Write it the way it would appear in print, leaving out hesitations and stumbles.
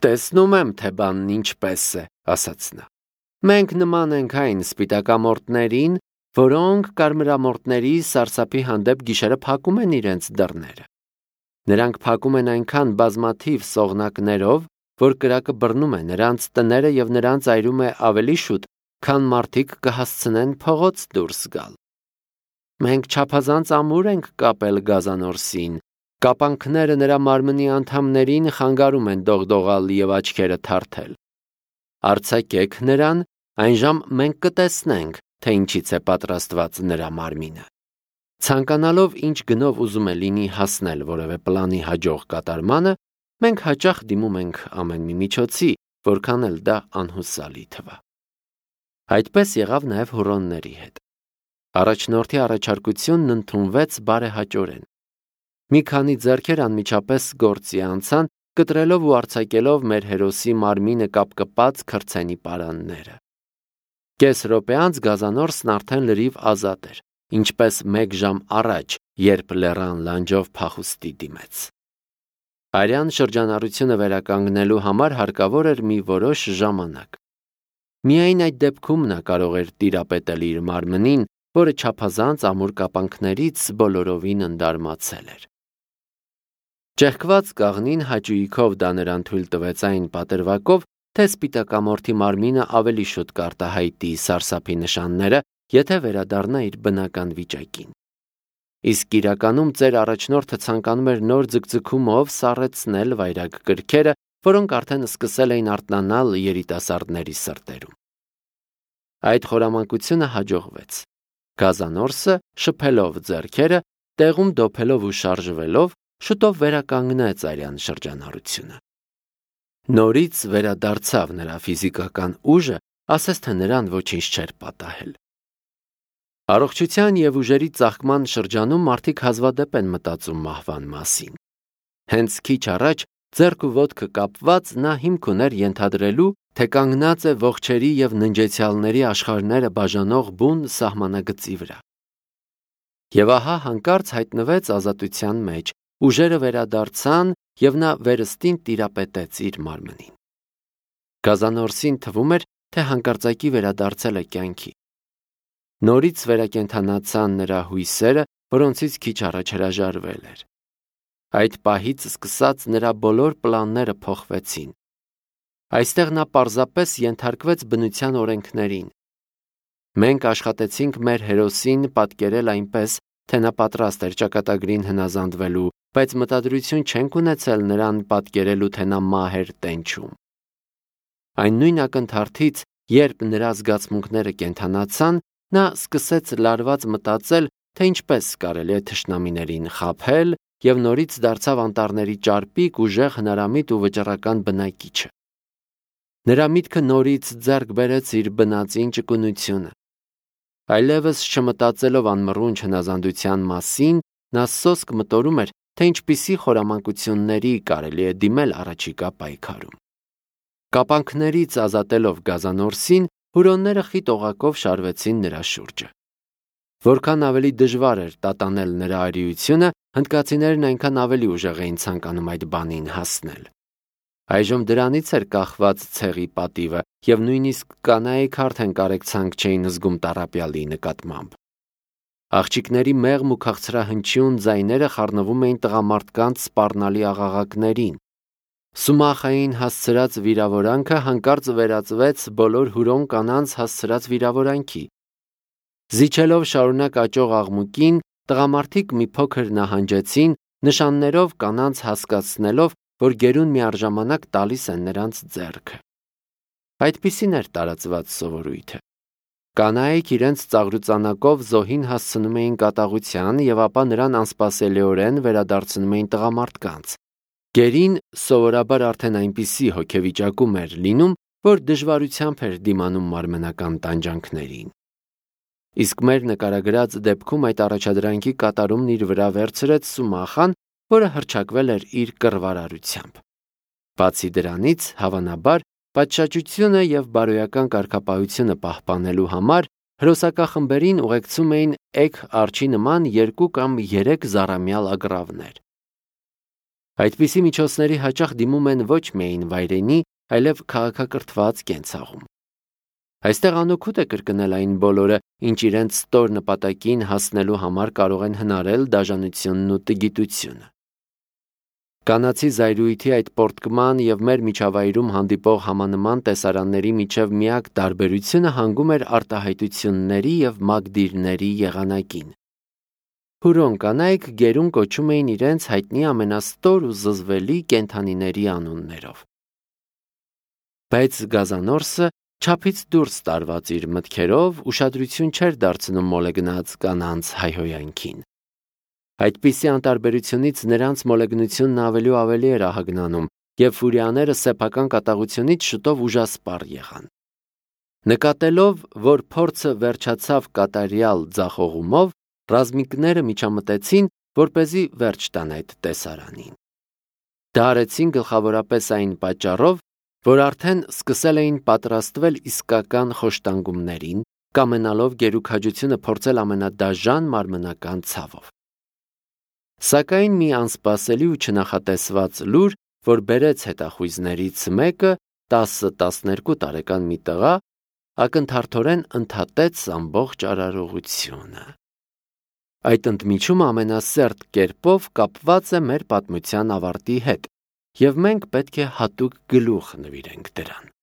Տեսնում եմ, թե բանն ինչպես է, ասաց նա։ Մենք նման ենք այն սպիտակամորտներին, որոնք կարմրամորտների սարսափի հանդեպ գիշերը փակում են իրենց դռները։ Նրանք փակում են այնքան բազմաթիվ սողնակներով, որ կրակը բռնում է նրանց տները և նրանց այրում է ավելի շուտ, քան մարդիկ կհասցնեն փողոց դուրս գալ։ Մենք չափազանց ամուր ենք կապել գազանորսին, կապանքները նրա մարմնի անդամներին խանգարում են դողդողալ և աչքերը թարթել։ Արձակեք նրան, այնժամ մենք կտեսնենք, թե ինչից է պատրաստված նրա մարմինը։ Ցանկանալով ինչ գնով ուզում է լինի հասնել որևէ պլանի հաջող կատարմանը, մենք հաճախ դիմում ենք ամեն մի միջոցի, որքան էլ դա անհուսալի թվա։ Այդպես եղավ նաև հուռոնների հետ։ Առաջնորդի առաջարկությունն ընդունվեց բարեհաճորեն։ Մի քանի ձեռքեր անմիջապես գործի անցան, կտրելով ու արձակելով մեր հերոսի մարմինը կապկպած քրծենի պարանները։ Կես րոպե անց գազանորսն արդեն լրիվ ազատ էր, ինչպես 1 ժամ առաջ, երբ լեռան լանջով փախուստի դիմեց։ Արյան շրջանառությունը վերականգնելու համար հարկավոր էր մի որոշ ժամանակ։ Միայն այդ դեպքում նա կարող էր տիրապետել իր մարմնին, որը չափազանց ամուր կապանքներից բոլորովին ընդարմացել էր։ Ճեղքված կաղնին հաճույքով դա նրան թույլ տվեց այն պատրվակով, թե սպիտակամորթի մարմինը ավելի շուտ կարտահայտի սարսափի նշանները, եթե վերադառնա իր բնական վիճակին։ Իսկ իրականում ծեր առաջնորդը ցանկանում էր նոր ձգձգումով սառեցնել վայրագ կրքերը, որոնք արդեն սկսել էին արթնանալ երիտասարդների սրտերում։ Այդ խորամանկությունը հաջողվեց։ Գազանորսը, շփելով ձեռքերը, տեղում դոփելով ու շարժվելով, շուտով վերականգնեց արյան շրջանառությունը։ Նորից վերադարձավ նրա ֆիզիկական ուժը, ասես թե նրան ոչինչ չէր պատահել։ Առողջության և ուժերի ծաղկման շրջանում մարդիկ հազվադեպ են մտածում մահվան մասին։ Հենց քիչ առաջ, ձեռք ու ոտքը կապված, նա հիմք ուներ ենթադրելու, թե կանգնած է ողջերի և ննջեցյալների աշխարհները բաժանող բուն սահմանագծի վրա։ Եվ ահա հանկարծ հայտնվեց ազատության մեջ, ուժերը վերադարձան և նա վերստին տիրապետեց իր մարմնին։ Գազանորսին թվում էր, թե հանկարծակի վերադարձել է կյանքի։ Նորից վերակենդանացան նրա հույսերը, որոնցից քիչ առաջ հրաժարվել էր։ Այդ պահից սկսած նրա բոլոր պլանները փոխվեցին։ Այստեղ նա պարզապես ենթարկվեց բնության օրենքներին։ Մենք աշխատեցինք մեր հերոսին պատկերել այնպես, թե նա պատրաստ էր ճակատագրին հնազանդվելու, բայց մտադրություն չենք ունեցել նրան պատկերելու, թե նա մահ էր տենչում։ Այն նույն ակնթարթից, երբ նրա զգացմունքները կենդանացան, նա սկսեց լարված մտածել, թե ինչպես կարելի է թշնամիներին խաբել և նորից դարձավ անտառների ճարպիկ, ուժեղ, հնարամիտ ու վճռական բնակիչը։ Նրա միտքը նորից ձեռք բերեց իր բնածին ճկունությունը։ Այլևս չմտածելով անմռունչ հնազանդության մասին, նա սոսկ մտորում էր, թե ինչպիսի խորամանկությունների կարելի է դիմել առաջիկա պայքարում։ Կապանքներից ազատելով գազանորսին, հուրոնները խիտ օղակով շարվեցին նրա շուրջը։ Որքան ավելի դժվար էր տատանել նրա արիությունը, հնդկացիներն այնքան ավելի ուժեղ էին ցանկանում այդ բանին հասնել։ Այժմ դրանից էր կախված ցեղի պատիվը, և նույնիսկ կանայք արդեն կարեկցանք չէին զգում տառապյալի նկատմամբ։ Աղջիկների մեղմ ու քաղցրահնչյուն ձայները խառնվում էին տղամարդկանց սպառնալի աղաղակներին։ Սումախային հասցրած վիրավորանքը հանկարծ վերածվեց բոլոր հուրոն կանանց հասցրած վիրավորանքի։ Զիջելով շարունակ աճող աղմուկին, տղամարդիկ մի փոքր նահանջեցին, նշաններով կանանց հասկացնելով, որ գերուն միառժամանակ տալիս են նրանց ձեռքը։ Այդպիսին էր տարածված սովորույթը։ Կանայք իրենց ծաղրուծանակով զոհին հասցնում էին կատաղության և ապա նրան անսպասելիորեն վերադարձնում էին տղամարդկանց։ Գերին սովորաբար արդեն այնպիսի հոգեվիճակում էր լինում, որ դժվարությամբ էր դիմանում մարմնական տանջանքներին։ Իսկ մեր նկարագրած դեպքում այդ առաջադրանքի կատարումն իր վրա վերցրեց Սումախան, որը հռչակվել էր իր կռվարարությամբ։ Բացի դրանից, հավանաբար, պատշաճությունը և բարոյական կարգապահությունը պահպանելու համար հրոսակախմբերին ուղեկցում էին էգ արջի նման 2 կամ 3 զառամյալ ագռավներ։ Այդպիսի միջոցների հաճախ դիմում են ոչ միայն վայրենի, այլև քաղաքակրթված կենցաղում։ Այստեղ անօգուտ է կրկնել այն բոլորը, ինչ իրենց ստոր նպատակին հասնելու համար կարող են հնարել դաժանությունն ու տգիտությունը։ Կանացի զայրույթի այդ պոռթկման եւ մեր միջավայրում հանդիպող համանման տեսարանների միջև միակ տարբերությունը հանգում էր արտահայտությունների եւ մագդիրների եղանակին։ Հուրոն կանայք գերուն կոչում էին իրենց հայտնի ամենաստոր ու զզվելի կենդանիների անուններով։ Բայց Գազանորսը չափից դուրս տարված իր մտքերով ուշադրություն չէր դարձնում մոլեգնած կանանց հայհոյանքին։ Այդպիսի անտարբերությունից նրանց մոլեգնությունն ավելի ու ավելի էր ահագնանում, եւ ֆուրիաները սեփական կատաղությունից շուտով ուժասպառ եղան։ Նկատելով, որ փորձը վերջացավ կատարյալ ձախողումով, ռազմիկները միջամտեցին, որպեսզի վերջ տան այդ տեսարանին։ Դա արեցին գլխավորապես այն պատճառով, որ արդեն սկսել էին պատրաստվել իսկական խոշտանգումներին, կամենալով գերուքաջությունը փորձել ամենադաժան մարմնական ցավով։ Սակայն մի անսպասելի ու չնախատեսված լուր, որ բերեց հետախույզներից մեկը 10-12 տարեկան մի տղա, ակնթարթորեն ընդհատեց ամբողջ արարողությունը։ Այդ ընդմիջումը ամենասերտ կերպով կապված է մեր պատմության ավարտի հետ, եւ մենք պետք է հատուկ գլուխ նվիրենք դրան։